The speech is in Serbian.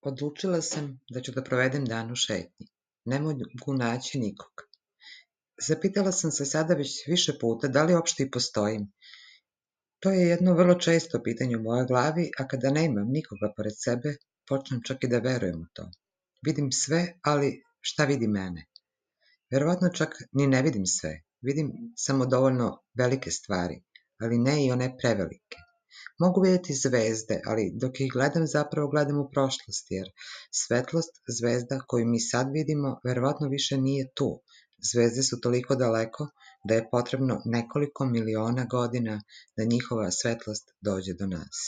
Odlučila sam da ću da provedem dan u šetnji. Ne mogu naći nikog. Zapitala sam se sada već više puta da li uopšte i postojim. To je jedno vrlo često pitanje u mojoj glavi, a kada nemam nikoga pored sebe, počnem čak i da verujem u to. Vidim sve, ali šta vidi mene? Verovatno čak ni ne vidim sve. Vidim samo dovoljno velike stvari, ali ne i one prevelike. Mogu vidjeti zvezde, ali dok ih gledam zapravo gledam u prošlost, jer svetlost zvezda koju mi sad vidimo verovatno više nije tu. Zvezde su toliko daleko da je potrebno nekoliko miliona godina da njihova svetlost dođe do nas.